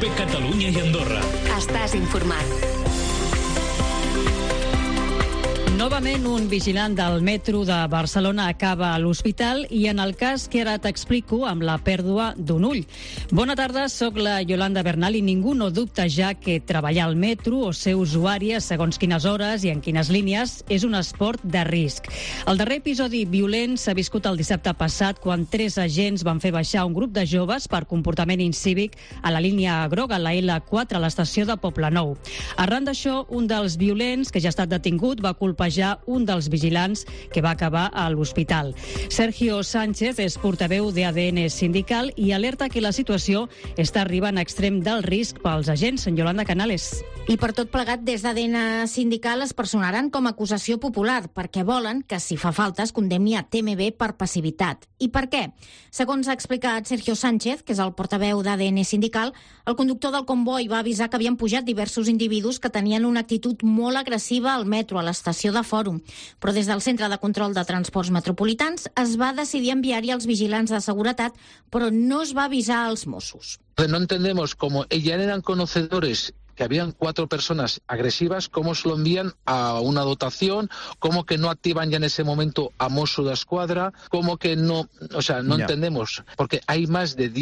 COPE Catalunya i Andorra. Estàs informat. Novament, un vigilant del metro de Barcelona acaba a l'hospital i en el cas que ara t'explico amb la pèrdua d'un ull. Bona tarda, sóc la Yolanda Bernal i ningú no dubta ja que treballar al metro o ser usuària segons quines hores i en quines línies és un esport de risc. El darrer episodi violent s'ha viscut el dissabte passat quan 3 agents van fer baixar un grup de joves per comportament incívic a la línia groga, la L4, a l'estació de Poblenou. Arran d'això, un dels violents, que ja ha estat detingut, va culpar un dels vigilants que va acabar a l'hospital. Sergio Sánchez és portaveu d'ADN Sindical i alerta que la situació està arribant a extrem del risc pels agents. Yolanda Canales. I per tot plegat, des d'ADN Sindical es personaran com a acusació popular perquè volen que, si fa falta, es condemni a TMB per passivitat. I per què? Segons ha explicat Sergio Sánchez, que és el portaveu d'ADN Sindical, el conductor del comboi va avisar que havien pujat diversos individus que tenien una actitud molt agressiva al metro, a l'estació de Fòrum. Però des del Centre de Control de Transports Metropolitans es va decidir enviar-hi els vigilants de seguretat, però no es va avisar als Mossos. No entendemos cómo ya eran conocedores que habían 4 personas agresivas, cómo se lo envían a una dotación, cómo que no activan ya en ese momento a Mossos d'Esquadra, cómo que no, o sea, no entendemos, porque hay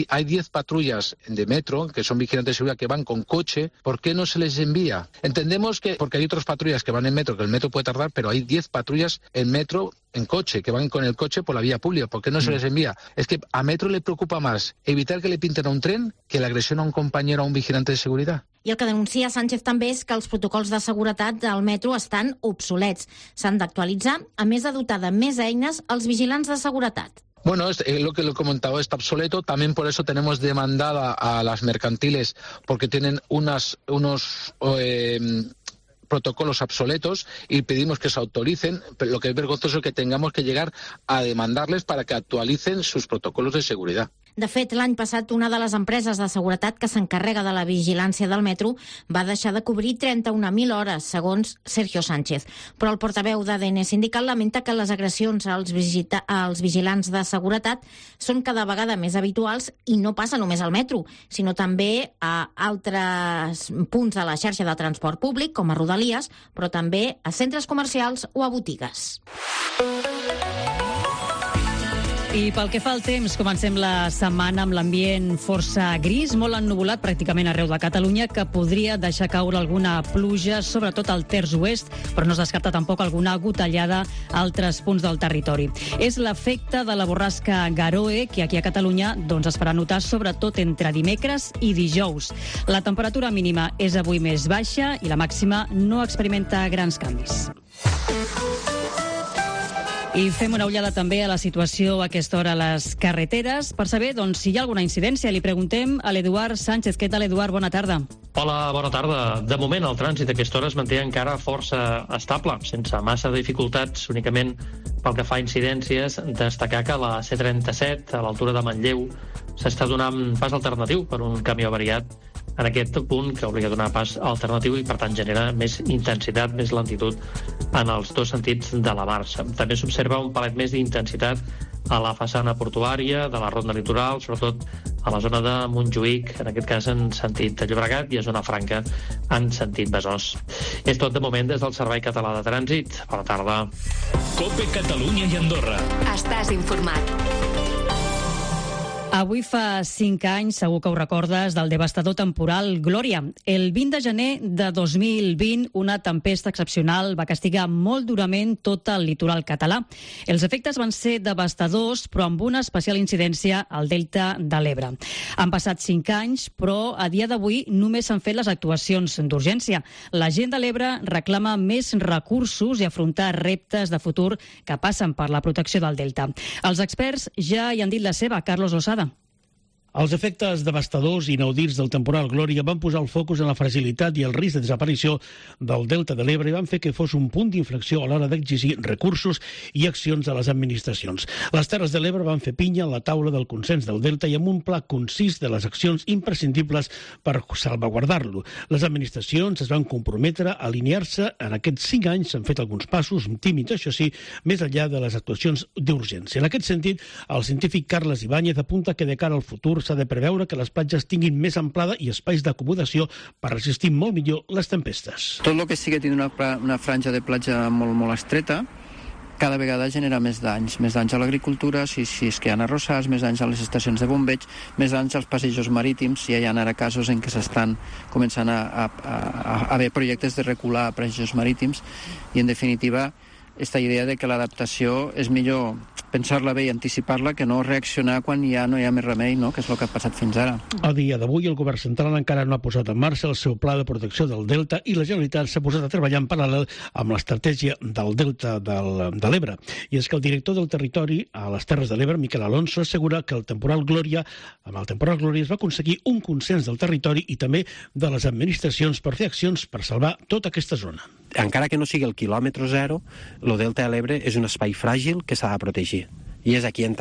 hay 10 patrullas de metro, que son vigilantes de seguridad, que van con coche, ¿por qué no se les envía? Entendemos que, porque hay otras patrullas que van en metro, que el metro puede tardar, pero hay 10 patrullas en metro, en coche, que van con el coche por la vía pública. ¿Por qué no se les envía? Es que a Metro le preocupa más evitar que le pinten a un tren que la agresión a un compañero o a un vigilante de seguridad. I el que denuncia Sánchez també és que els protocols de seguretat del metro estan obsolets. S'han d'actualitzar, a més de dotar de més eines als vigilants de seguretat. Bueno, lo que lo he comentado, está obsoleto. También por eso tenemos demandada a las mercantiles, porque tienen unos protocolos obsoletos y pedimos que se autoricen, pero lo que es vergonzoso es que tengamos que llegar a demandarles para que actualicen sus protocolos de seguridad. De fet, l'any passat, una de les empreses de seguretat que s'encarrega de la vigilància del metro va deixar de cobrir 31.000 hores, segons Sergio Sánchez. Però el portaveu d'ADN Sindical lamenta que les agressions als vigilants de seguretat són cada vegada més habituals i no passa només al metro, sinó també a altres punts de la xarxa de transport públic, com a Rodalies, però també a centres comercials o a botigues. I pel que fa al temps, comencem la setmana amb l'ambient força gris, molt ennuvolat pràcticament arreu de Catalunya, que podria deixar caure alguna pluja, sobretot al terç oest, però no es descarta tampoc alguna gotellada a altres punts del territori. És l'efecte de la borrasca Garoe, que aquí a Catalunya es farà notar sobretot entre dimecres i dijous. La temperatura mínima és avui més baixa i la màxima no experimenta grans canvis. I fem una ullada també a la situació a aquesta hora a les carreteres. Per saber si hi ha alguna incidència, li preguntem a l'Eduard Sánchez. Què tal, Eduard? Bona tarda. Hola, bona tarda. De moment, el trànsit a aquesta hora es manté encara força estable, sense massa dificultats, únicament pel que fa a incidències. Destacar que la C37, a l'altura de Manlleu, s'està donant pas alternatiu per un camió avariat en aquest punt, que obliga a donar pas alternatiu i, per tant, genera més intensitat, més lentitud en els dos sentits de la marxa. També s'observa un palet més d'intensitat a la façana portuària de la Ronda Litoral, sobretot a la zona de Montjuïc, en aquest cas en sentit de Llobregat, i a Zona Franca en sentit Besòs. És tot de moment des del Servei Català de Trànsit. Bona tarda. COPE Catalunya i Andorra. Estàs informat. Avui fa 5 anys, segur que ho recordes, del devastador temporal Glòria. El 20 de gener de 2020, una tempesta excepcional va castigar molt durament tot el litoral català. Els efectes van ser devastadors, però amb una especial incidència al delta de l'Ebre. Han passat 5 anys, però a dia d'avui només s'han fet les actuacions d'urgència. La gent de l'Ebre reclama més recursos i afrontar reptes de futur que passen per la protecció del delta. Els experts ja hi han dit la seva. Carlos Losada. Els efectes devastadors i inaudits del temporal Glòria van posar el focus en la fragilitat i el risc de desaparició del delta de l'Ebre i van fer que fos un punt d'inflexió a l'hora d'exigir recursos i accions a les administracions. Les Terres de l'Ebre van fer pinya a la taula del consens del delta i amb un pla concís de les accions imprescindibles per salvaguardar-lo. Les administracions es van comprometre a alinear-se. En aquests 5 anys s'han fet alguns passos, tímids això sí, més enllà de les actuacions d'urgència. En aquest sentit, el científic Carles Ibáñez apunta que de cara al futur s'ha de preveure que les platges tinguin més amplada i espais d'acomodació per resistir molt millor les tempestes. Tot el que sigui tenir una franja de platja molt estreta cada vegada genera més danys a l'agricultura, si és que hi ha arrossars, més danys a les estacions de bombeig, més danys als passejos marítims, si hi ha ara casos en què s'estan començant a haver projectes de recular passejos marítims, i en definitiva aquesta idea de que l'adaptació és millor pensar-la bé i anticipar-la que no reaccionar quan ja no hi ha més remei, no? Que és el que ha passat fins ara. A dia d'avui, el govern central encara no ha posat en marxa el seu pla de protecció del Delta i la Generalitat s'ha posat a treballar en paral·lel amb l'estratègia del Delta de l'Ebre. I és que el director del territori a les Terres de l'Ebre, Miquel Alonso, assegura que amb el temporal Glòria es va aconseguir un consens del territori i també de les administracions per fer accions per salvar tota aquesta zona. Encara que no sigui el quilòmetre zero, el Delta de l'Ebre és un espai fràgil que s'ha de protegir. I és aquí on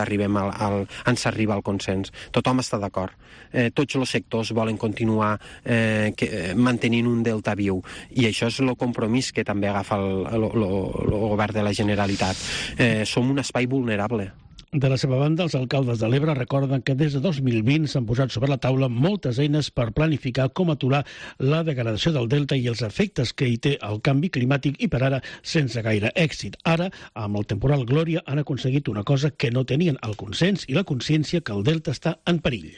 s'arriba al consens. Tothom està d'acord. Tots els sectors volen continuar mantenint un delta viu. I això és el compromís que també agafa el govern de la Generalitat. Som un espai vulnerable. De la seva banda, els alcaldes de l'Ebre recorden que des de 2020 s'han posat sobre la taula moltes eines per planificar com aturar la degradació del delta i els efectes que hi té el canvi climàtic i per ara sense gaire èxit. Ara, amb el temporal Glòria, han aconseguit una cosa que no tenien, el consens i la consciència que el delta està en perill.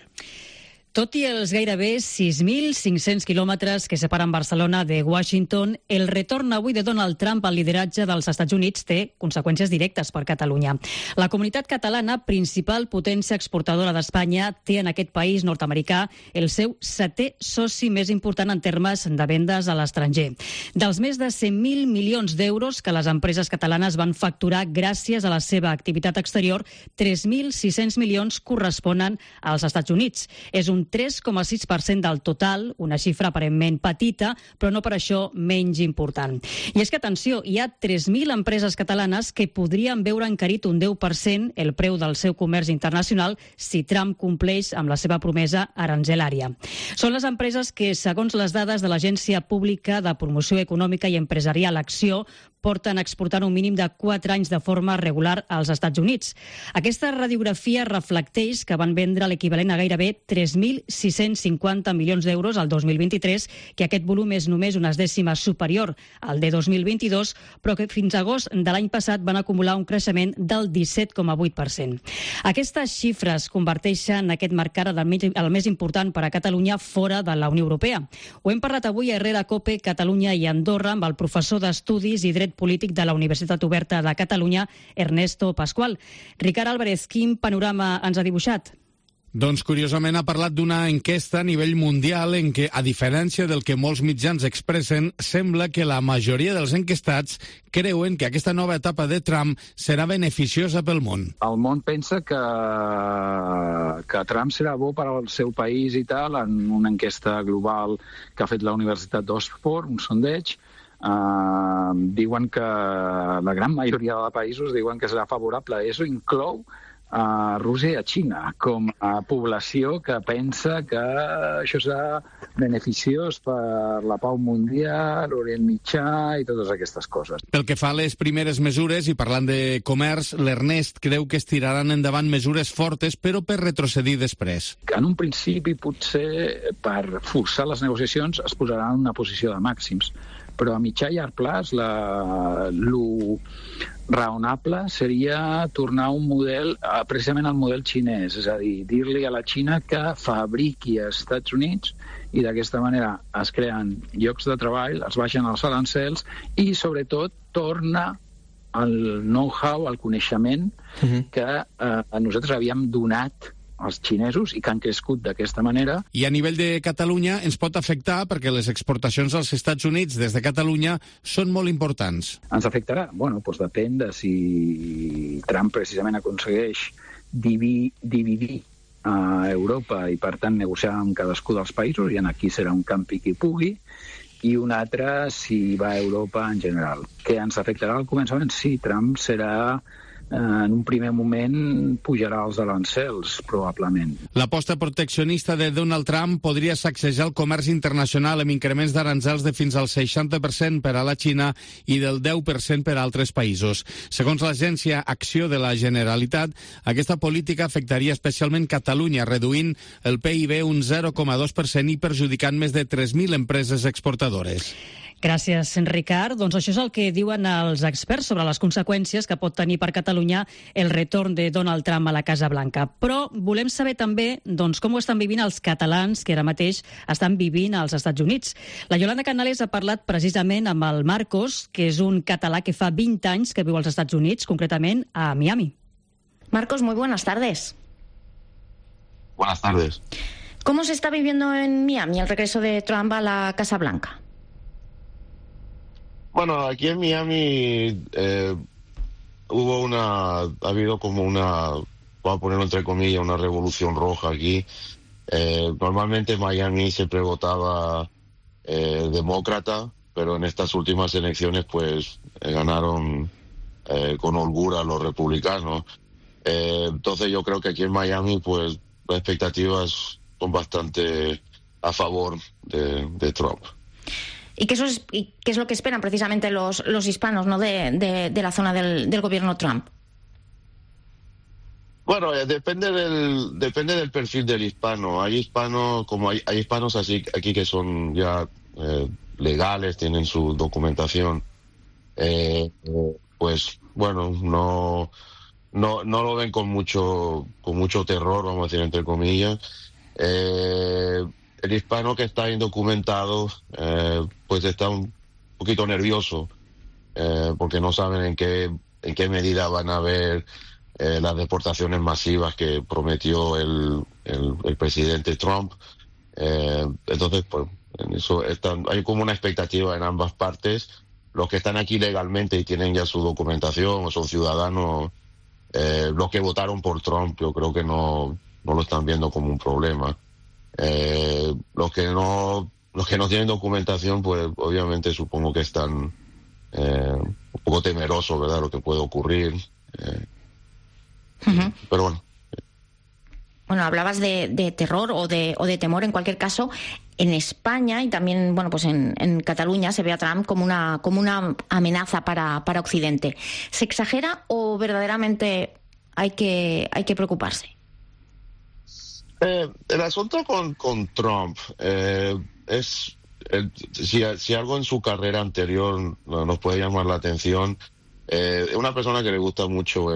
Tot i els gairebé 6.500 quilòmetres que separen Barcelona de Washington, el retorn avui de Donald Trump al lideratge dels Estats Units té conseqüències directes per Catalunya. La comunitat catalana, principal potència exportadora d'Espanya, té en aquest país nord-americà el seu 7è soci més important en termes de vendes a l'estranger. Dels més de 100.000 milions d'euros que les empreses catalanes van facturar gràcies a la seva activitat exterior, 3.600 milions corresponen als Estats Units. És un 3,6% del total, una xifra aparentment petita, però no per això menys important. I és que, atenció, hi ha 3.000 empreses catalanes que podrien veure encarit un 10% el preu del seu comerç internacional si Trump compleix amb la seva promesa aranzelària. Són les empreses que, segons les dades de l'Agència Pública de Promoció Econòmica i Empresarial Acció, porten exportant un mínim de 4 anys de forma regular als Estats Units. Aquesta radiografia reflecteix que van vendre l'equivalent a gairebé 3.650 milions d'euros al 2023, que aquest volum és només unes dècimes superior al de 2022, però que fins a agost de l'any passat van acumular un creixement del 17,8%. Aquestes xifres converteixen aquest mercat el més important per a Catalunya fora de la Unió Europea. Ho hem parlat avui a Herrera Cope, Catalunya i Andorra amb el professor d'Estudis i Dret Polític de la Universitat Oberta de Catalunya, Ernesto Pascual. Ricard Álvarez, quin panorama ens ha dibuixat? Doncs, curiosament, ha parlat d'una enquesta a nivell mundial en què, a diferència del que molts mitjans expressen, sembla que la majoria dels enquestats creuen que aquesta nova etapa de Trump serà beneficiosa pel món. El món pensa que Trump serà bo per al seu país i tal, en una enquesta global que ha fet la Universitat d'Oxford, un sondeig. Diuen que la gran majoria de països diuen que serà favorable. Això inclou a Rússia i a Xina com a població que pensa que això serà beneficiós per la pau mundial, l'Orient Mitjà i totes aquestes coses. Pel que fa a les primeres mesures, i parlant de comerç, l'Ernest creu que es tiraran endavant mesures fortes, però per retrocedir després. En un principi, potser, per forçar les negociacions, es posaran en una posició de màxims. Però a mitjà i llarg plaç lo raonable seria tornar a un model, precisament al model xinès, és a dir-li a la Xina que fabriqui als Estats Units i d'aquesta manera es creen llocs de treball, es baixen els arancels i sobretot torna el know-how, el coneixement que nosaltres havíem donat als xinesos i que han crescut d'aquesta manera. I a nivell de Catalunya ens pot afectar perquè les exportacions als Estats Units des de Catalunya són molt importants. Ens afectarà? Bueno, doncs depèn de si Trump precisament aconsegueix dividir Europa i, per tant, negociar amb cadascú dels països, i aquí serà un campi qui pugui, i un altre si va a Europa en general. Que ens afectarà al començament? Sí, Trump serà en un primer moment pujarà els arancels, probablement. L'aposta proteccionista de Donald Trump podria sacsejar el comerç internacional amb increments d'arancels de fins al 60% per a la Xina i del 10% per a altres països. Segons l'agència Acció de la Generalitat, aquesta política afectaria especialment Catalunya, reduint el PIB un 0,2% i perjudicant més de 3.000 empreses exportadores. Gràcies, Ricard. Doncs això és el que diuen els experts sobre les conseqüències que pot tenir per Catalunya el retorn de Donald Trump a la Casa Blanca. Però volem saber també com ho estan vivint els catalans que ara mateix estan vivint als Estats Units. La Yolanda Canales ha parlat precisament amb el Marcos, que és un català que fa 20 anys que viu als Estats Units, concretament a Miami. Marcos, muy buenas tardes. Buenas tardes. ¿Cómo se está viviendo en Miami el regreso de Trump a la Casa Blanca? Bueno, aquí en Miami ha habido como vamos a ponerlo entre comillas, una revolución roja aquí. Normalmente Miami siempre votaba demócrata, pero en estas últimas elecciones pues ganaron con holgura los republicanos. Entonces yo creo que aquí en Miami pues las expectativas son bastante a favor de Trump. ¿Y qué es lo que esperan precisamente los hispanos, ¿no? de la zona del gobierno Trump? Bueno, depende del perfil del hispano. Hay hispanos, hay hispanos así aquí que son ya legales, tienen su documentación. Pues bueno, no lo ven con mucho terror, vamos a decir entre comillas. El hispano que está indocumentado pues está un poquito nervioso porque no saben en qué medida van a haber las deportaciones masivas que prometió el presidente Trump. Entonces, pues en eso hay como una expectativa en ambas partes. Los que están aquí legalmente y tienen ya su documentación o son ciudadanos, los que votaron por Trump, yo creo que no lo están viendo como un problema. Los que no tienen documentación, pues obviamente supongo que están un poco temerosos, ¿verdad?, lo que puede ocurrir. Pero bueno. Bueno, hablabas de terror o de temor. En cualquier caso, en España y también, bueno, pues en Cataluña se ve a Trump como una amenaza para Occidente. ¿Se exagera o verdaderamente hay que preocuparse? El asunto con Trump es si algo en su carrera anterior nos puede llamar la atención. Es una persona que le gusta mucho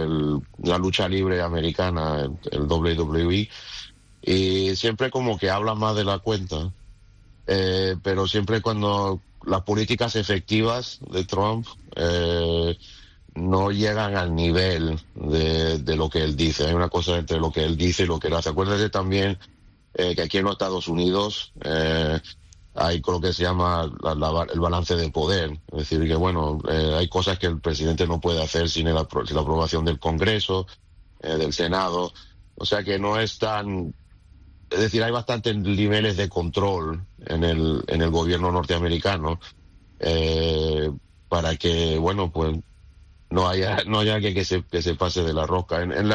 la lucha libre americana, el WWE, y siempre como que habla más de la cuenta, pero siempre cuando las políticas efectivas de Trump no llegan al nivel de lo que él dice. Hay una cosa entre lo que él dice y lo que él hace. Acuérdate también que aquí en los Estados Unidos hay lo que se llama el balance de poder. Es decir, que bueno, hay cosas que el presidente no puede hacer sin la aprobación del Congreso, del Senado. O sea que no es tan... Es decir, hay bastantes niveles de control en el gobierno norteamericano para que, bueno, pues no haya que se pase de la rosca. En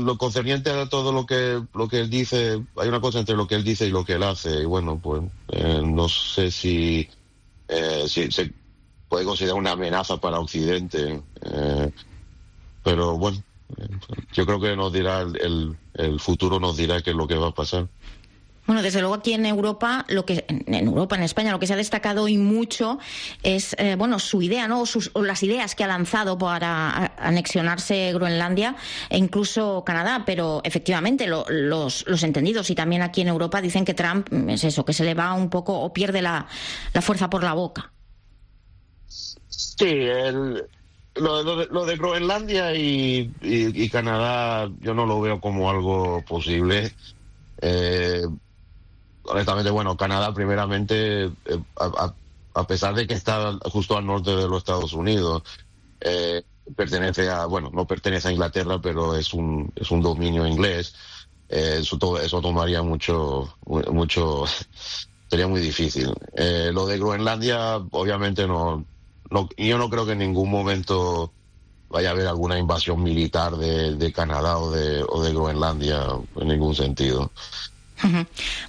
lo concerniente a todo lo que él dice, hay una cosa entre lo que él dice y lo que él hace, y bueno, pues no sé si se puede considerar una amenaza para Occidente, pero bueno, yo creo que nos dirá el futuro nos dirá qué es lo que va a pasar. Bueno, desde luego aquí en Europa, en España, lo que se ha destacado y mucho es, su idea, ¿no? O las ideas que ha lanzado para anexionarse Groenlandia e incluso Canadá, pero efectivamente los entendidos y también aquí en Europa dicen que Trump es eso, que se le va un poco o pierde la fuerza por la boca. Sí, lo de Groenlandia y Canadá yo no lo veo como algo posible. Honestamente, bueno, Canadá primeramente, a pesar de que está justo al norte de los Estados Unidos, no pertenece a Inglaterra, pero es un dominio inglés. Eso tomaría mucho, sería muy difícil. Lo de Groenlandia, obviamente yo no creo que en ningún momento vaya a haber alguna invasión militar de Canadá o de Groenlandia en ningún sentido.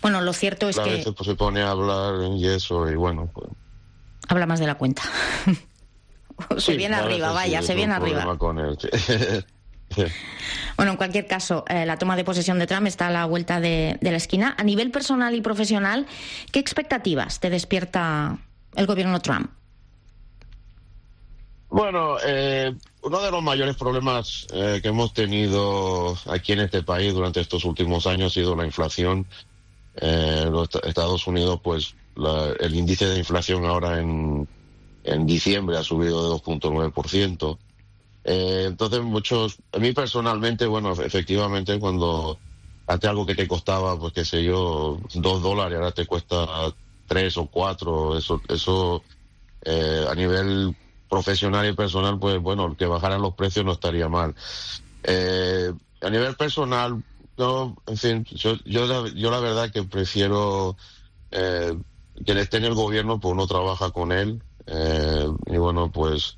Bueno, lo cierto es que... A veces pues, se pone a hablar y eso, y bueno... Pues... Habla más de la cuenta. Se viene arriba, vaya, se viene arriba. Con él. Bueno, en cualquier caso, la toma de posesión de Trump está a la vuelta de la esquina. A nivel personal y profesional, ¿qué expectativas te despierta el gobierno Trump? Bueno, uno de los mayores problemas que hemos tenido aquí en este país durante estos últimos años ha sido la inflación. Los Estados Unidos, pues, el índice de inflación ahora en diciembre ha subido de 2.9%. Entonces, a mí personalmente, bueno, efectivamente, cuando antes algo que te costaba, pues, qué sé yo, $2, ahora te cuesta 3 o 4, eso a nivel profesional y personal, pues bueno, que bajaran los precios no estaría mal. A nivel personal, no, en fin, yo la verdad que prefiero que esté en el gobierno, pues uno trabaja con él, y bueno, pues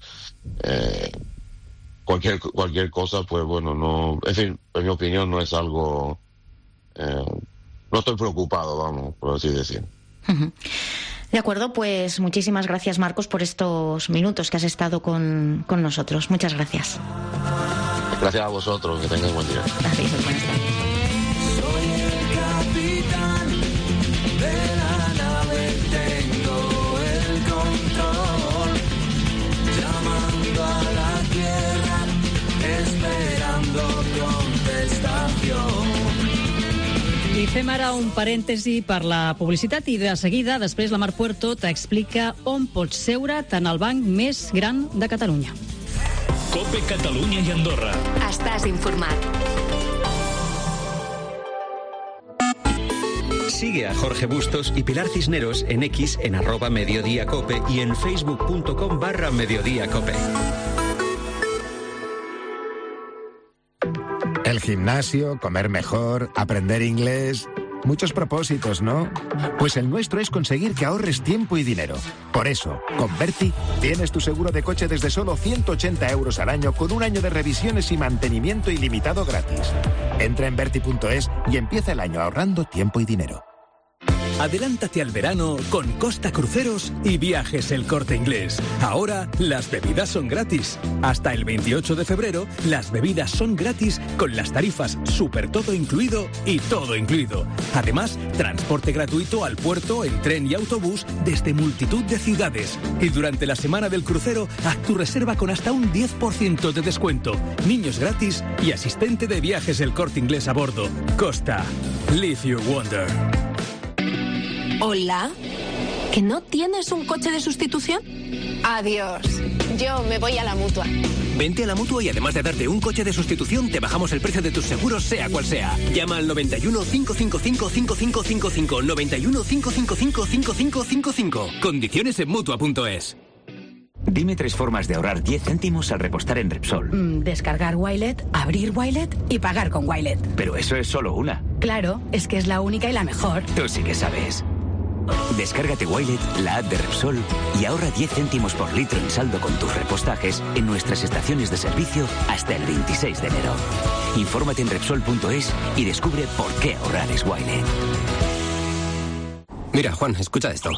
cualquier cosa, pues bueno, no, en fin, en mi opinión no es algo, no estoy preocupado, vamos, por así decir. De acuerdo, pues muchísimas gracias, Marcos, por estos minutos que has estado con nosotros. Muchas gracias. Gracias a vosotros, que tengáis buen día. Gracias, buenas tardes. Soy el capitán de la nave, tengo el control, llamando a la tierra, esperando contestación. I fem ara un parèntesi per la publicitat i de seguida, després la Mar Puerto t'explica on pots seure tant al banc més gran de Catalunya. COPE Catalunya i Andorra. Estàs informat. Sigue a Jorge Bustos y Pilar Cisneros en X en @mediodíacope y en facebook.com/mediodíacope. El gimnasio, comer mejor, aprender inglés... Muchos propósitos, ¿no? Pues el nuestro es conseguir que ahorres tiempo y dinero. Por eso, con Berti tienes tu seguro de coche desde solo 180 euros al año con un año de revisiones y mantenimiento ilimitado gratis. Entra en Berti.es y empieza el año ahorrando tiempo y dinero. Adelántate al verano con Costa Cruceros y Viajes El Corte Inglés. Ahora las bebidas son gratis. Hasta el 28 de febrero las bebidas son gratis con las tarifas Super Todo Incluido y Todo Incluido. Además, transporte gratuito al puerto en tren y autobús desde multitud de ciudades. Y durante la semana del crucero, haz tu reserva con hasta un 10% de descuento. Niños gratis y asistente de Viajes El Corte Inglés a bordo. Costa. Live your wonder. Hola, ¿que no tienes un coche de sustitución? Adiós, yo me voy a la Mutua. Vente a la Mutua y además de darte un coche de sustitución, te bajamos el precio de tus seguros, sea cual sea. Llama al 91 555 5555. 91 555 5555. Condiciones en Mutua.es. Dime 3 formas de ahorrar 10 céntimos al repostar en Repsol. Descargar Wilet, abrir Wilet y pagar con Wilet. Pero eso es solo una. Claro, es que es la única y la mejor. Tú sí que sabes. Descárgate Wilet, la app de Repsol, y ahorra 10 céntimos por litro en saldo con tus repostajes en nuestras estaciones de servicio hasta el 26 de enero. Infórmate en Repsol.es y descubre por qué ahorrar es Wilet. Mira, Juan, escucha esto.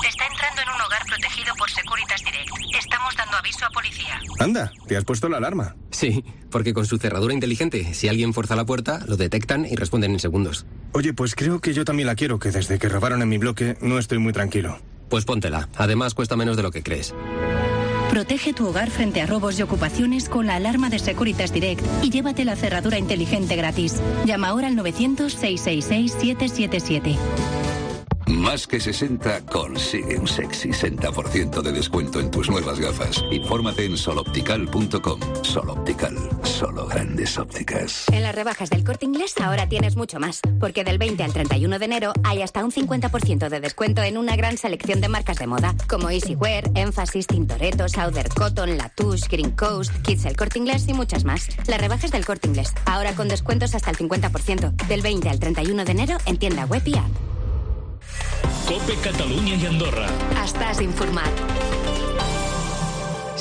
Está entrando en un hogar protegido por Securitas Direct. Estamos dando aviso a policía. Anda, ¿te has puesto la alarma? Sí, porque con su cerradura inteligente, si alguien fuerza la puerta, lo detectan y responden en segundos. Oye, pues creo que yo también la quiero, que desde que robaron en mi bloque no estoy muy tranquilo. Pues póntela. Además, cuesta menos de lo que crees. Protege tu hogar frente a robos y ocupaciones con la alarma de Securitas Direct y llévate la cerradura inteligente gratis. Llama ahora al 900-666-777. Más que 60 consigue un sexy 60% de descuento en tus nuevas gafas. Infórmate en soloptical.com. Soloptical, solo grandes ópticas. En las rebajas del Corte Inglés ahora tienes mucho más, porque del 20 al 31 de enero hay hasta un 50% de descuento en una gran selección de marcas de moda, como Easywear, Emphasis, Tintoretto, Southern Cotton, Latouche, Green Coast, Kids El Corte Inglés y muchas más. Las rebajas del Corte Inglés, ahora con descuentos hasta el 50%, del 20 al 31 de enero en tienda web y app. COPE Catalunya i Andorra. Estàs informat.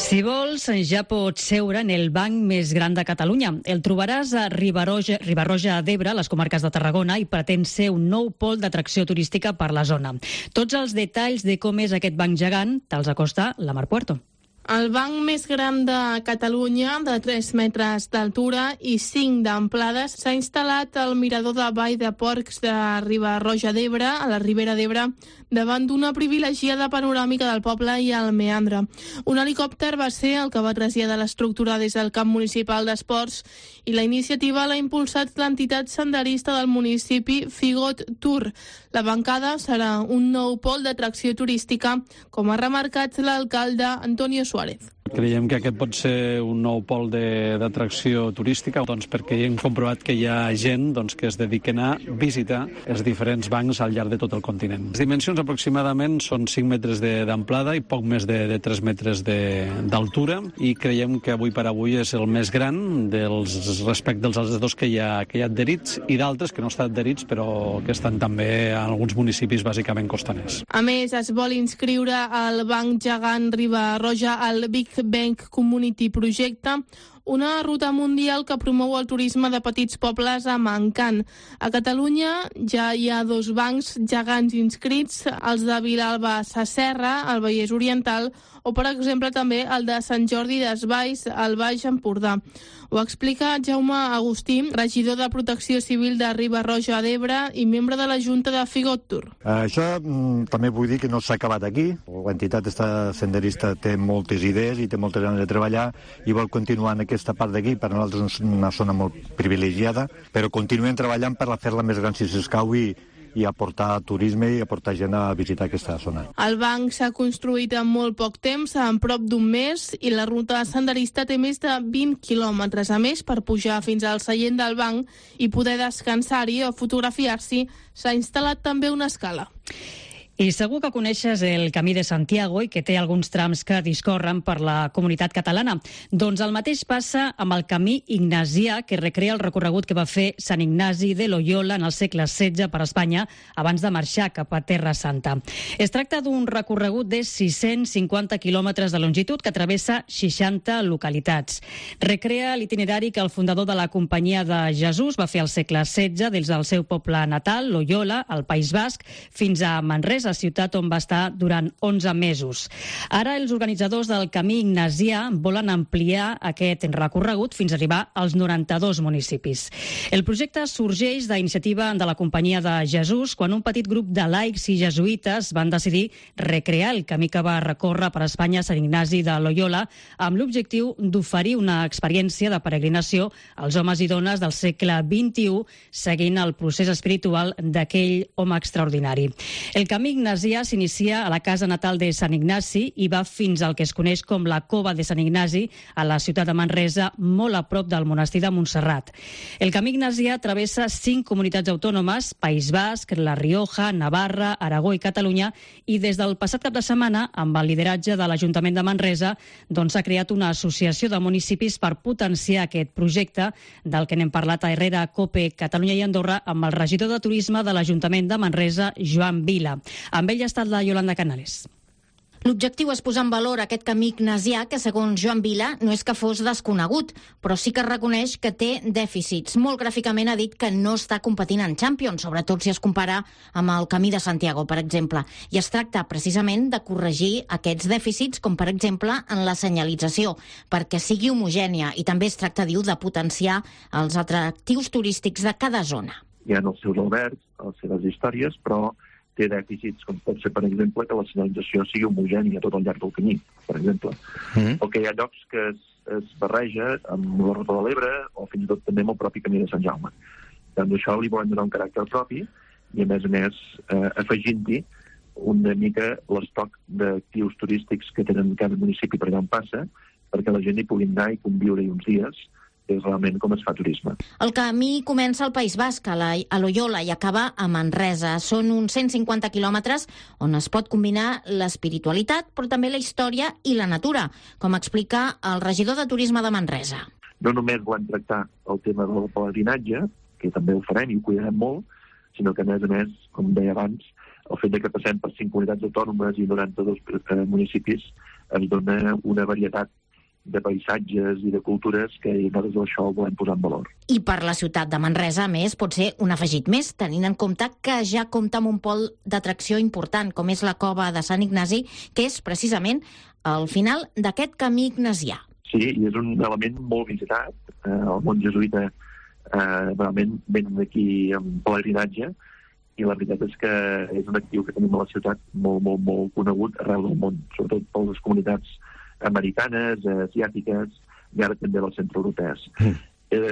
Si vols, ja pots seure en el banc més gran de Catalunya. El trobaràs a Riba-roja d'Ebre, a les comarques de Tarragona, i pretén ser un nou pol d'atracció turística per la zona. Tots els detalls de com és aquest banc gegant te'ls acosta la Mar Puerto. El banc més gran de Catalunya, de 3 metres d'altura i 5 d'amplada, s'ha instal·lat al mirador de Vall de Porcs de Riba-roja d'Ebre, a la Ribera d'Ebre, davant d'una privilegiada panoràmica del poble i el meandre. Un helicòpter va ser el que va traslladar l'estructura des del camp municipal d'esports i la iniciativa l'ha impulsat l'entitat senderista del municipi Figot Tour. La bancada serà un nou pol d'atracció turística, com ha remarcat l'alcalde Antonio Suárez. Creiem que aquest pot ser un nou pol d'atracció turística, perquè hem comprovat que hi ha gent que es dediquen a visitar els diferents bancs al llarg de tot el continent. Les dimensions aproximadament són 5 metres d'amplada i poc més de 3 metres d'altura, i creiem que avui per avui és el més gran respecte dels altres dos que hi ha adherits, i d'altres que no estan adherits però que estan també en alguns municipis bàsicament costaners. A més, es vol inscriure al Banc Gegant Riba-roja al Big Bank Community Projecte, una ruta mundial que promou el turisme de petits pobles amb encant. A Catalunya ja hi ha 2 bancs gegants inscrits, els de Vilalba Sasserra, al Vallès Oriental, o, per exemple, també el de Sant Jordi Desvalls, al Baix Empordà. Ho explica Jaume Agustí, regidor de Protecció Civil de Riba-roja d'Ebre i membre de la Junta de Figot Tour. Això també vull dir que no s'ha acabat aquí. L'entitat senderista té moltes idees i té moltes ganes de treballar i vol continuar en aquesta part d'aquí. Per nosaltres és una zona molt privilegiada, però continuem treballant per fer-la més gran si s'escau i aportar turisme i aportar gent a visitar aquesta zona. El banc s'ha construït en molt poc temps, en prop d'un mes, i la ruta senderista té més de 20 quilòmetres. A més, per pujar fins al seient del banc i poder descansar-hi o fotografiar-s'hi, s'ha instal·lat també una escala. I segur que coneixes el Camí de Santiago i que té alguns trams que discorren per la comunitat catalana. Doncs el mateix passa amb el Camí Ignasià, que recrea el recorregut que va fer Sant Ignasi de Loyola en el segle XVI per Espanya abans de marxar cap a Terra Santa. Es tracta d'un recorregut de 650 quilòmetres de longitud que travessa 60 localitats. Recrea l'itinerari que el fundador de la Companyia de Jesús va fer al segle XVI des del seu poble natal, Loyola, al País Basc, fins a Manresa, ciutat on va estar durant 11 mesos. Ara els organitzadors del Camí Ignasià volen ampliar aquest recorregut fins a arribar als 92 municipis. El projecte sorgeix d'iniciativa de la Companyia de Jesús quan un petit grup de laics i jesuïtes van decidir recrear el camí que va recórrer per Espanya Sant Ignasi de Loyola amb l'objectiu d'oferir una experiència de peregrinació als homes i dones del segle XXI seguint el procés espiritual d'aquell home extraordinari. El Camí Ignasià s'inicia a la casa natal de Sant Ignasi i va fins al que es coneix com la Cova de Sant Ignasi, a la ciutat de Manresa, molt a prop del monestir de Montserrat. El Camí Ignasià travessa 5 comunitats autònomes, País Basc, La Rioja, Navarra, Aragó i Catalunya, i des del passat cap de setmana, amb el lideratge de l'Ajuntament de Manresa, s'ha creat una associació de municipis per potenciar aquest projecte, del que n'hem parlat a Herrera, COPE, Catalunya i Andorra, amb el regidor de Turisme de l'Ajuntament de Manresa, Joan Vila. Amb ell ha estat la Yolanda Canales. L'objectiu és posar en valor aquest camí ignasià que, segons Joan Vila, no és que fos desconegut, però sí que reconeix que té dèficits. Molt gràficament ha dit que no està competint en Champions, sobretot si es compara amb el Camí de Santiago, per exemple. I es tracta precisament de corregir aquests dèficits, com per exemple en la senyalització, perquè sigui homogènia, i també es tracta, diu, de potenciar els atractius turístics de cada zona. Hi ha els seus albergs, les seves històries, però té dèficits, com pot ser, per exemple, que la senyalització sigui homogènia tot al llarg del camí, per exemple. O que hi ha llocs que es barreja amb la Ruta de l'Ebre o fins i tot també amb el propi Camí de Sant Jaume. Doncs això li volem donar un caràcter propi i, a més, afegint-hi una mica l'estoc d'actius turístics que tenen cada municipi per allà on passa, perquè la gent hi pugui anar i conviure-hi uns dies, és realment com es fa turisme. El camí comença al País Basc, a Loyola, i acaba a Manresa. Són uns 150 quilòmetres on es pot combinar l'espiritualitat, però també la història i la natura, com explica el regidor de Turisme de Manresa. No només volem tractar el tema del pelegrinatge, que també ho farem i ho cuidarem molt, sinó que, a més, com deia abans, el fet que passem per 5 comunitats autònomes i 92 municipis ens dona una varietat de paisatges i de cultures que nosaltres això ho volem posar en valor. I per la ciutat de Manresa, a més, pot ser un afegit més, tenint en compte que ja compta amb un pol d'atracció important, com és la cova de Sant Ignasi, que és precisament al final d'aquest camí ignasià. Sí, i és un element molt visitat. El món jesuïta realment venen aquí en pelegrinatge, i la veritat és que és un actiu que tenim a la ciutat molt, molt, molt conegut arreu del món, sobretot per les comunitats americanes, asiàtiques i ara també les centroeuropees.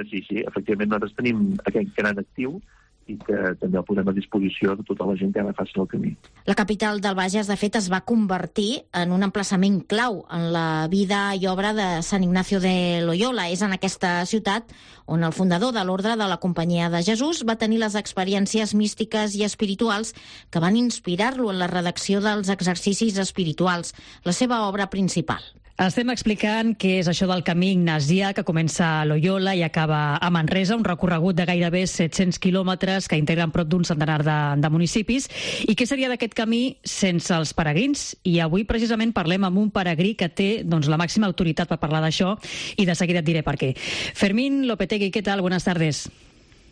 Sí, efectivament nosaltres tenim aquest gran actiu i que també el posem a disposició de tota la gent que ara faci el camí. La capital del Bages, de fet, es va convertir en un emplaçament clau en la vida i obra de Sant Ignacio de Loyola. És en aquesta ciutat on el fundador de l'Ordre de la Companyia de Jesús va tenir les experiències místiques i espirituals que van inspirar-lo en la redacció dels exercicis espirituals, la seva obra principal. Estem explicant què és això del camí ignasià que comença a Loyola i acaba a Manresa, un recorregut de gairebé 700 quilòmetres que integren prop d'un centenar de municipis. I què seria d'aquest camí sense els peregrins? I avui precisament parlem amb un peregrí que té la màxima autoritat per parlar d'això i de seguida et diré per què. Fermín Lopetegui, ¿qué tal? Buenas tardes.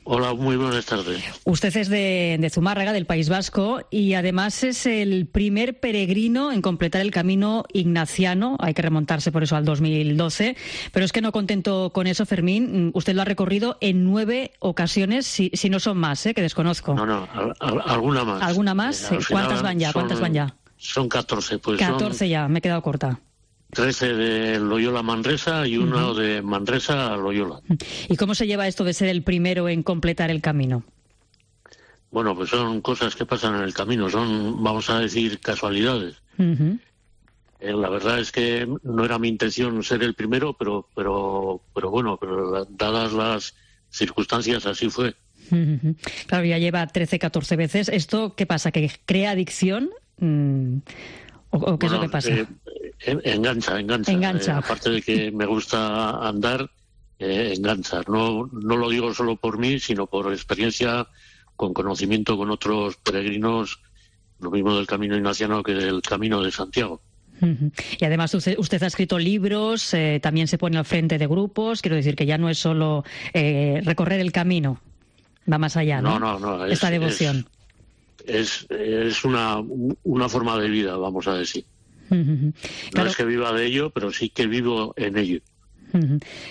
Hola, muy buenas tardes. Usted es de Zumárraga, del País Vasco, y además es el primer peregrino en completar el camino ignaciano. Hay que remontarse por eso al 2012. Pero es que no contento con eso, Fermín, usted lo ha recorrido en 9 ocasiones, si no son más, que desconozco. No, alguna más. ¿Alguna más? ¿Cuántas van ya? Son 14. 14 ya, me he quedado corta. 13 de Loyola a Manresa y uno de Manresa a Loyola. ¿Y cómo se lleva esto de ser el primero en completar el camino? Bueno, pues son cosas que pasan en el camino, son, vamos a decir, casualidades. La verdad es que no era mi intención ser el primero, pero dadas las circunstancias así fue. Claro, ya lleva 13, 14 veces. ¿Esto qué pasa? ¿Que crea adicción? ¿O qué es lo que pasa? Engancha. Aparte de que me gusta andar, engancha. No lo digo solo por mí, sino por experiencia, con conocimiento con otros peregrinos, lo mismo del camino ignaciano que del camino de Santiago. Y además usted ha escrito libros, también se pone al frente de grupos, quiero decir que ya no es solo recorrer el camino, va más allá, ¿no? No. Esta devoción. Es una forma de vida, vamos a decir. Claro. No es que viva de ello, pero sí que vivo en ello.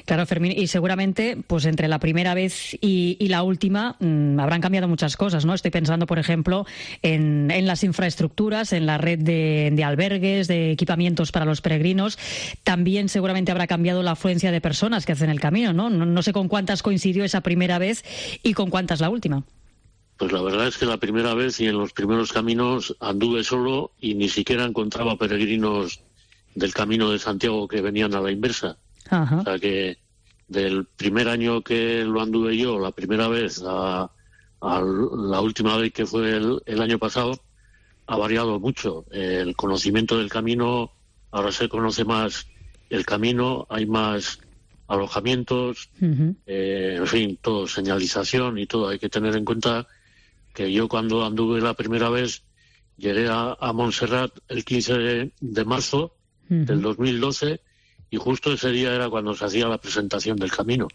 Claro, Fermín, y seguramente pues entre la primera vez y la última habrán cambiado muchas cosas, ¿no? Estoy pensando, por ejemplo, en las infraestructuras, en la red de albergues, de equipamientos para los peregrinos. También seguramente habrá cambiado la afluencia de personas que hacen el camino, ¿no? No sé con cuántas coincidió esa primera vez y con cuántas la última. Pues la verdad es que la primera vez y en los primeros caminos anduve solo y ni siquiera encontraba peregrinos del Camino de Santiago que venían a la inversa. Ajá. O sea que del primer año que lo anduve yo, la primera vez, a la última vez que fue el año pasado, ha variado mucho. El conocimiento del camino, ahora se conoce más el camino, hay más alojamientos, en fin, todo, señalización y todo. Hay que tener en cuenta que yo cuando anduve la primera vez llegué a Montserrat el 15 de marzo del 2012 y justo ese día era cuando se hacía la presentación del camino.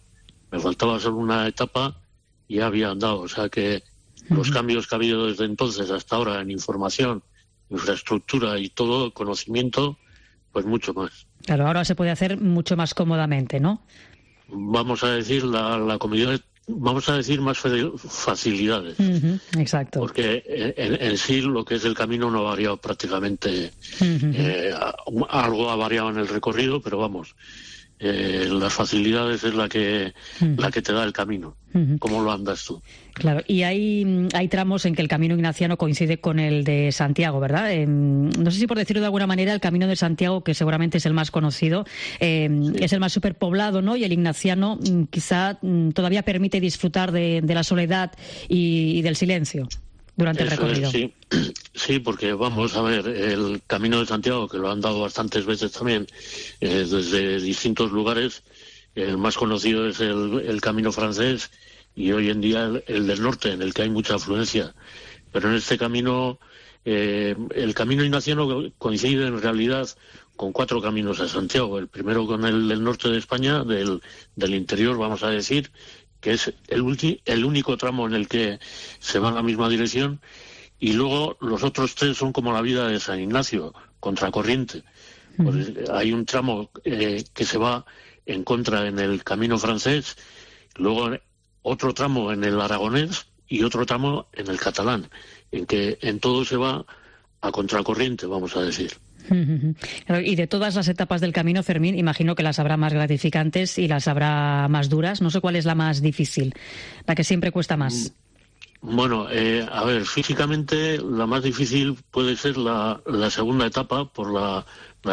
Me faltaba solo una etapa y ya había andado. O sea que los cambios que ha habido desde entonces hasta ahora en información, infraestructura y todo, conocimiento, pues mucho más. Claro, ahora se puede hacer mucho más cómodamente, ¿no? Vamos a decir, la comunidad, vamos a decir más facilidades. Exacto. Porque en sí lo que es el camino no ha variado prácticamente. Algo ha variado en el recorrido, pero vamos, las facilidades es la que te da el camino. ¿Cómo lo andas tú? Claro, y hay tramos en que el camino ignaciano coincide con el de Santiago, ¿verdad? No sé si por decirlo de alguna manera, el camino de Santiago, que seguramente es el más conocido, es el más superpoblado, ¿no? Y el ignaciano quizá todavía permite disfrutar de la soledad y del silencio durante el recorrido. Sí, porque vamos a ver, el camino de Santiago, que lo han dado bastantes veces también, desde distintos lugares, el más conocido es el camino francés y hoy en día el del norte, en el que hay mucha afluencia. Pero en este camino el camino ignaciano coincide en realidad con 4 caminos a Santiago. El primero con el del norte de España, del interior, vamos a decir, que es el único tramo en el que se va en la misma dirección, y luego los otros 3 son como la vida de San Ignacio, contracorriente. Pues hay un tramo que se va en contra en el camino francés, luego otro tramo en el aragonés y otro tramo en el catalán, en que en todo se va a contracorriente, vamos a decir. Y de todas las etapas del camino, Fermín, imagino que las habrá más gratificantes y las habrá más duras. No sé cuál es la más difícil, la que siempre cuesta más. Bueno, a ver, físicamente la más difícil puede ser la segunda etapa, por la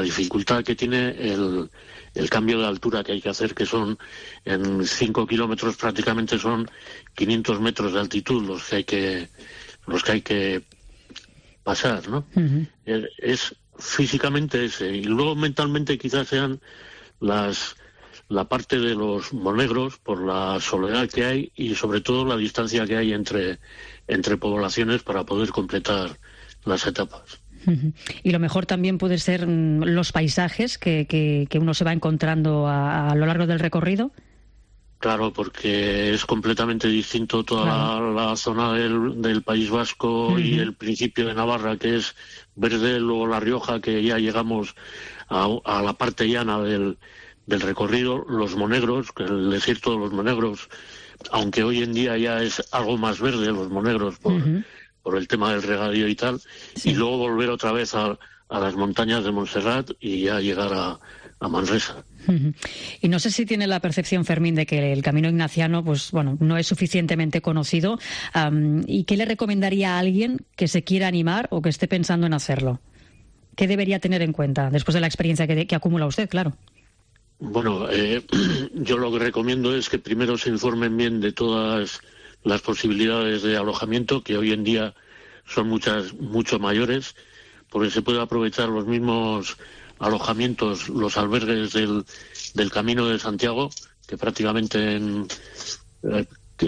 dificultad que tiene el cambio de altura que hay que hacer, que son en 5 kilómetros prácticamente son 500 metros de altitud los que hay que pasar, ¿no? Es físicamente ese, y luego mentalmente quizás sean la parte de los monegros, por la soledad que hay y sobre todo la distancia que hay entre poblaciones para poder completar las etapas. Y lo mejor también puede ser los paisajes que uno se va encontrando a lo largo del recorrido. Claro, porque es completamente distinto toda la zona del País Vasco y el principio de Navarra, que es verde, luego La Rioja, que ya llegamos a la parte llana del recorrido, los monegros, el desierto de los monegros, aunque hoy en día ya es algo más verde los monegros por el tema del regadío y tal, y luego volver otra vez a las montañas de Montserrat y ya llegar a Manresa. Y no sé si tiene la percepción, Fermín, de que el camino ignaciano, pues bueno, no es suficientemente conocido. ¿Y qué le recomendaría a alguien que se quiera animar o que esté pensando en hacerlo? ¿Qué debería tener en cuenta después de la experiencia que acumula usted, claro? Bueno, yo lo que recomiendo es que primero se informen bien de todas las posibilidades de alojamiento, que hoy en día son mucho mayores, porque se puede aprovechar los mismos alojamientos, los albergues del Camino de Santiago, que prácticamente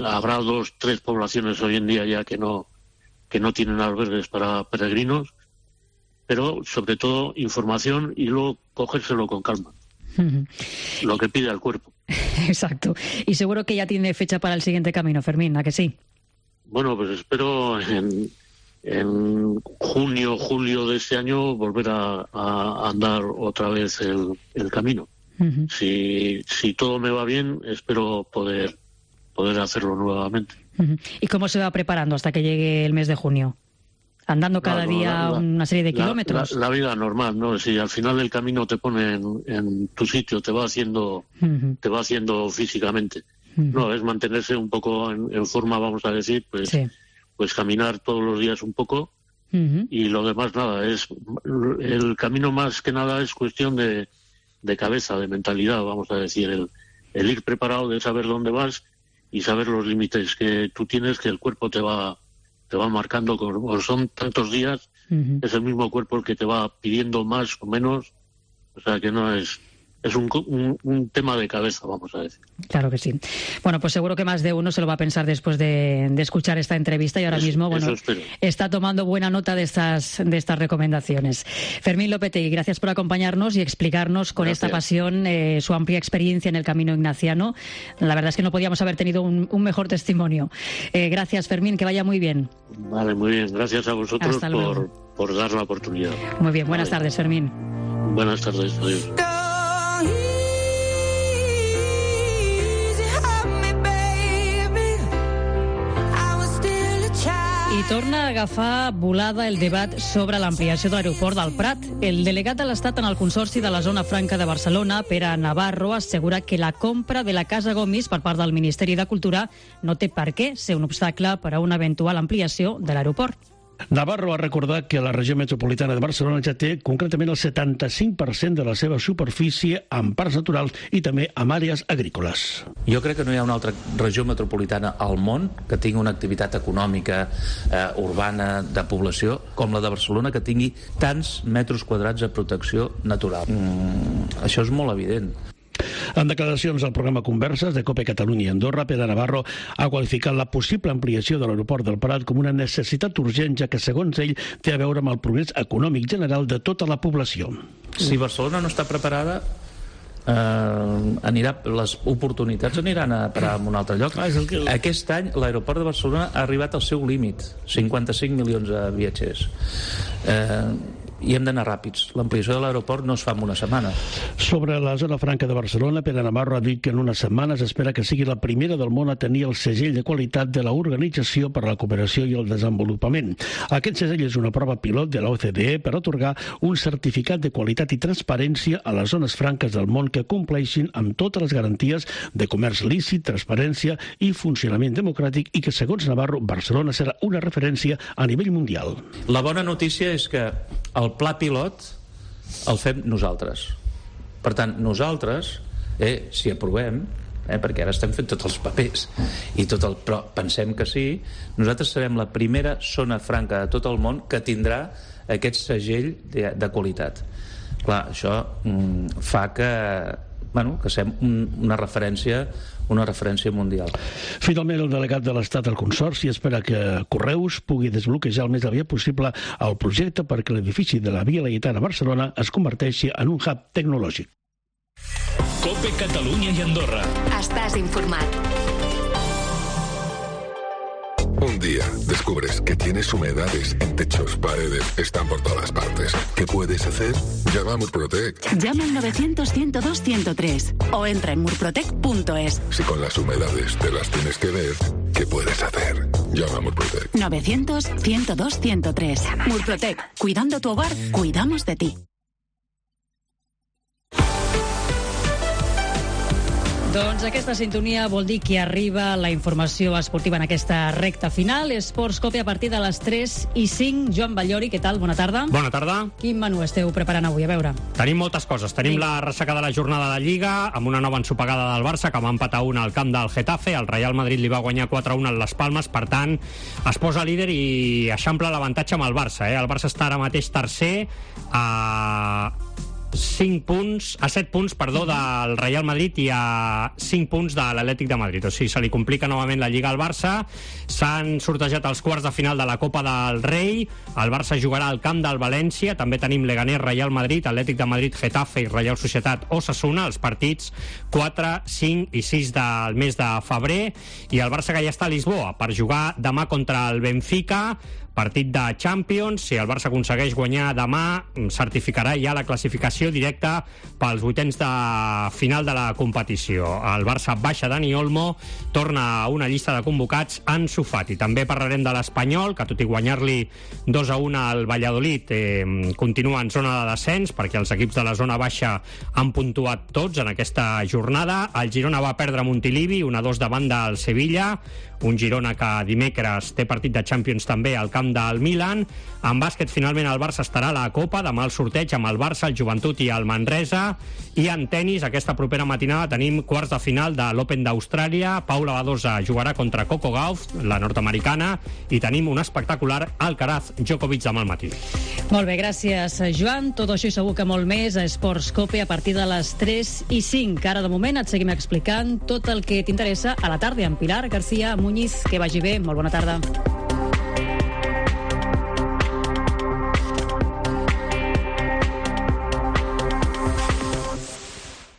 habrá 2-3 poblaciones hoy en día ya que no tienen albergues para peregrinos, pero sobre todo información y luego cogérselo con calma. Lo que pide al cuerpo. Exacto. Y seguro que ya tiene fecha para el siguiente camino, Fermín, ¿a que sí? Bueno, pues espero en junio, julio de este año volver a andar otra vez el camino. Si todo me va bien, espero poder hacerlo nuevamente. ¿Y cómo se va preparando hasta que llegue el mes de junio? ¿Andando cada día una serie de kilómetros? La vida normal, ¿no? Si al final del camino te pone en tu sitio, te va haciendo físicamente. No, es mantenerse un poco en forma, vamos a decir, pues caminar todos los días un poco, y lo demás nada. El camino más que nada es cuestión de cabeza, de mentalidad, vamos a decir, el ir preparado, de saber dónde vas y saber los límites que tú tienes, que el cuerpo te va marcando, como son tantos días, es el mismo cuerpo el que te va pidiendo más o menos, o sea que no es un tema de cabeza, vamos a decir. Claro que sí. Bueno, pues seguro que más de uno se lo va a pensar después de escuchar esta entrevista y ahora mismo, bueno, está tomando buena nota de estas recomendaciones. Fermín Lopetegui, gracias por acompañarnos y explicarnos con esta pasión su amplia experiencia en el camino ignaciano. La verdad es que no podíamos haber tenido un mejor testimonio. Gracias, Fermín, que vaya muy bien. Vale, muy bien. Gracias a vosotros por dar la oportunidad. Muy bien, buenas tardes, Fermín. Buenas tardes, adiós. I torna a agafar volada el debat sobre l'ampliació de l'aeroport del Prat. El delegat de l'Estat en el Consorci de la Zona Franca de Barcelona, Pere Navarro, assegura que la compra de la Casa Gomis per part del Ministeri de Cultura no té per què ser un obstacle per a una eventual ampliació de l'aeroport. Navarro ha recordat que la regió metropolitana de Barcelona ja té concretament el 75% de la seva superfície en parcs naturals i també en àrees agrícoles. Jo crec que no hi ha una altra regió metropolitana al món que tingui una activitat econòmica urbana de població com la de Barcelona, que tingui tants metres quadrats de protecció natural. Això és molt evident. En declaracions al programa Converses de COPE Catalunya i Andorra, Pere Navarro ha qualificat la possible ampliació de l'aeroport del Prat com una necessitat urgent, ja que, segons ell, té a veure amb el progrés econòmic general de tota la població. Si Barcelona no està preparada, les oportunitats aniran a parar en un altre lloc. Aquest any l'aeroport de Barcelona ha arribat al seu límit, 55 milions de viatgers. I hem d'anar ràpids. L'ampliació de l'aeroport no es fa en una setmana. Sobre la zona franca de Barcelona, Pere Navarro ha dit que en unes setmanes espera que sigui la primera del món a tenir el segell de qualitat de l'Organització per a la Cooperació i el Desenvolupament. Aquest segell és una prova pilot de la OCDE per atorgar un certificat de qualitat i transparència a les zones franques del món que compleixin amb totes les garanties de comerç lícit, transparència i funcionament democràtic, i que, segons Navarro, Barcelona serà una referència a nivell mundial. La bona notícia és que el pla pilot el fem nosaltres. Per tant, nosaltres, si aprovem, perquè ara estem fent tots els papers, però pensem que sí, nosaltres serem la primera zona franca de tot el món que tindrà aquest segell de qualitat. Clar, això fa que siguem una referència mundial. Finalment, el delegat de l'Estat al Consorci espera que Correus pugui desbloquejar el més aviat possible el projecte perquè l'edifici de la Via Laietana a Barcelona es converteixi en un hub tecnològic. COPE Catalunya i Andorra. Estàs informat. Un día descubres que tienes humedades en techos, paredes, están por todas partes. ¿Qué puedes hacer? Llama a Murprotec. Llama al 900-102-103 o entra en murprotec.es. Si con las humedades te las tienes que ver, ¿qué puedes hacer? Llama a Murprotec. 900-102-103. Murprotec. Cuidando tu hogar, cuidamos de ti. Doncs aquesta sintonia vol dir que arriba la informació esportiva en aquesta recta final. Esports Cope a partir de les 3:05. Joan Ballori, què tal? Bona tarda. Bona tarda. Quin menú esteu preparant avui? A veure. Tenim moltes coses. Tenim la ressaca de la jornada de Lliga, amb una nova ensopegada del Barça, que va empatar 1 al camp del Getafe. El Real Madrid li va guanyar 4-1 a les Palmes. Per tant, es posa líder i eixampla l'avantatge amb el Barça. El Barça està ara mateix tercer a 7 punts del Real Madrid i a 5 punts de l'Atlètic de Madrid. O sigui, se li complica novament la Lliga al Barça. S'han sortejat els quarts de final de la Copa del Rei. El Barça jugarà al camp del València. També tenim Leganés, Real Madrid, Atlètic de Madrid, Getafe i Reial Societat Osasuna, els partits 4, 5 i 6 del mes de febrer. I el Barça, que ja està a Lisboa per jugar demà contra el Benfica, partit de Champions. Si el Barça aconsegueix guanyar demà, certificarà ja la classificació directa pels vuitens de final de la competició. El Barça baixa Dani Olmo, torna a una llista de convocats Ansu Fati. També parlarem de l'Espanyol, que tot i guanyar-li 2-1 al Valladolid, continua en zona de descens, perquè els equips de la zona baixa han puntuat tots en aquesta jornada. El Girona va perdre a Montilivi 1-2 davant del Sevilla, un Girona que dimecres té partit de Champions també al camp del Milan. En bàsquet, finalment, el Barça estarà a la Copa, demà el sorteig amb el Barça, el Joventut i el Manresa. I en tenis, aquesta propera matinada tenim quarts de final de l'Open d'Austràlia. Paula Badosa jugarà contra Coco Gauff, la nord-americana, i tenim un espectacular Alcaraz Djokovic demà al matí. Molt bé, gràcies, Joan. Tot això i segur que molt més a Esports Cope a partir de les 3:05. Ara, de moment, et seguim explicant tot el que t'interessa a la tarda amb Pilar García Muñiz. Que vagi bé, molt bona tarda.